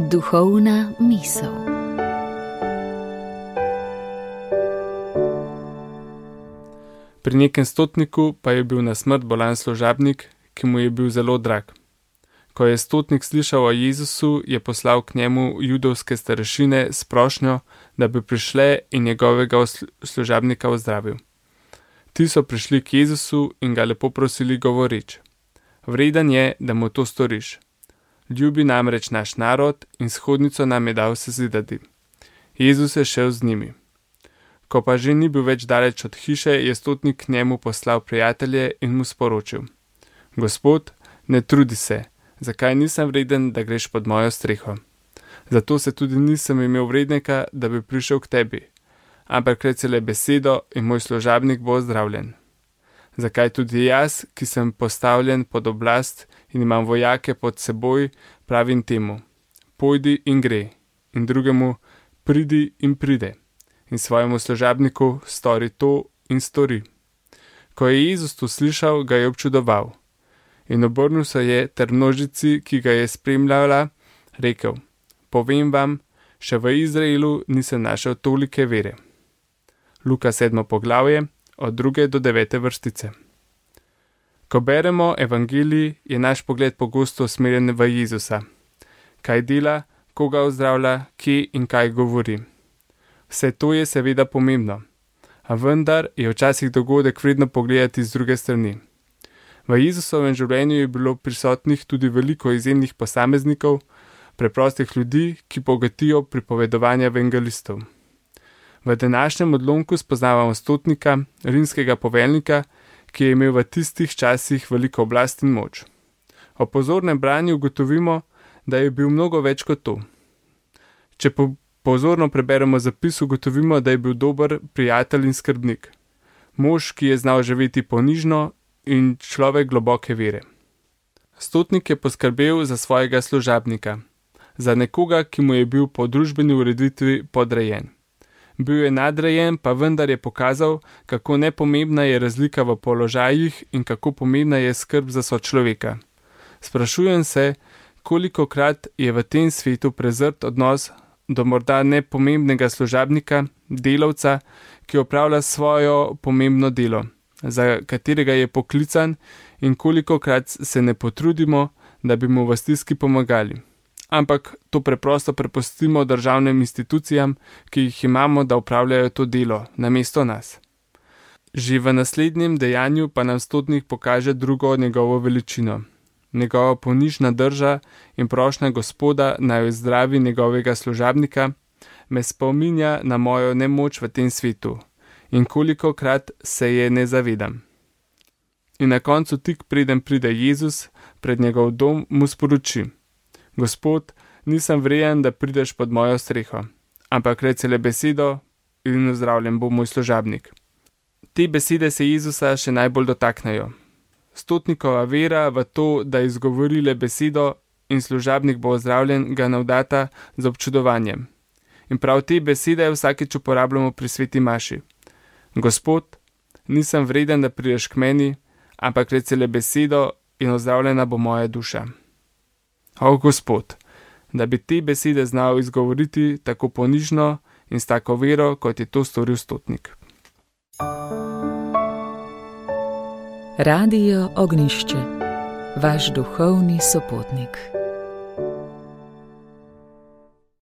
Duhovna misel. Pri nekem stotniku pa je bil na smrt bolan služabnik, ki mu je bil zelo drag. Ko je stotnik slišal o Jezusu, je poslal k njemu judovske starešine s prošnjo, da bi prišle in njegovega služabnika ozdravil. Ti so prišli k Jezusu in ga lepo prosili govoreč: vreden je, da mu to storiš. Ljubi namreč naš narod in shodnico nam je dal sezidati. Jezus je šel z njimi. Ko pa že ni bil več daleč od hiše, je stotnik k njemu poslal prijatelje in mu sporočil: Gospod, ne trudi se, zakaj nisem vreden, da greš pod mojo streho. Zato se tudi nisem imel vrednika, da bi prišel k tebi, ampak reci le besedo in moj služabnik bo ozdravljen. Zakaj tudi jaz, ki sem postavljen pod oblast in imam vojake pod seboj, pravim temu: pojdi in gre, in drugemu: pridi in pride, in svojemu služabniku: stori to in stori. Ko je Jezus to slišal, ga je občudoval in obrnil se je ter množici, ki ga je spremljala, rekel: povem vam, še v Izraelu nisem našel tolike vere. Luka 7. poglavje, od 2. do 9. vrstice. Ko beremo evangelij, je naš pogled pogosto usmerjen v Jezusa. Kaj dela, koga ozdravlja, kje in kaj govori. Vse to je seveda pomembno, a vendar je včasih dogodek vredno pogledati z druge strani. V Jezusovem življenju je bilo prisotnih tudi veliko izjemnih posameznikov, preprostih ljudi, ki bogatijo pripovedovanja evangelistov. V današnjem odlomku spoznavamo stotnika, rimskega poveljnika, ki je imel v tistih časih veliko oblast in moč. O pozornem branju ugotovimo, da je bil mnogo več kot to. Če pozorno preberemo zapis, ugotovimo, da je bil dober prijatelj in skrbnik. Mož, ki je znal živeti ponižno, in človek globoke vere. Stotnik je poskrbel za svojega služabnika, za nekoga, ki mu je bil po družbeni ureditvi podrejen. Bil je nadrejen, pa vendar je pokazal, kako nepomembna je razlika v položajih in kako pomembna je skrb za sočloveka. Sprašujem se, kolikokrat je v tem svetu prezrt odnos do morda nepomembnega služabnika, delavca, ki opravlja svojo pomembno delo, za katerega je poklican, in kolikokrat se ne potrudimo, da bi mu v stiski pomagali. Ampak to preprosto prepustimo državnim institucijam, ki jih imamo, da opravljajo to delo namesto nas. Že v naslednjem dejanju pa nam stotnik pokaže drugo njegovo veličino. Njegova ponižna drža in prošnja Gospoda, naj ozdravi njegovega služabnika, me spominja na mojo nemoč v tem svetu in kolikokrat se je ne zavedam. In na koncu, tik preden pride Jezus pred njegov dom, mu sporoči: Gospod, nisem vreden, da prideš pod mojo streho, ampak reci le besedo in ozdravljen bo moj služabnik. Te besede se Jezusa še najbolj dotaknejo. Stotnikova vera v to, da izgovori le besedo in služabnik bo ozdravljen, ga navdata z občudovanjem. In prav te besede vsakič uporabljamo pri sveti maši. Gospod, nisem vreden, da prideš k meni, ampak reci le besedo in ozdravljena bo moja duša. O Gospod, da bi te besede znal izgovoriti tako ponižno in s tako vero, kot je to storil stotnik. Radio Ognjišče, vaš duhovni sopotnik.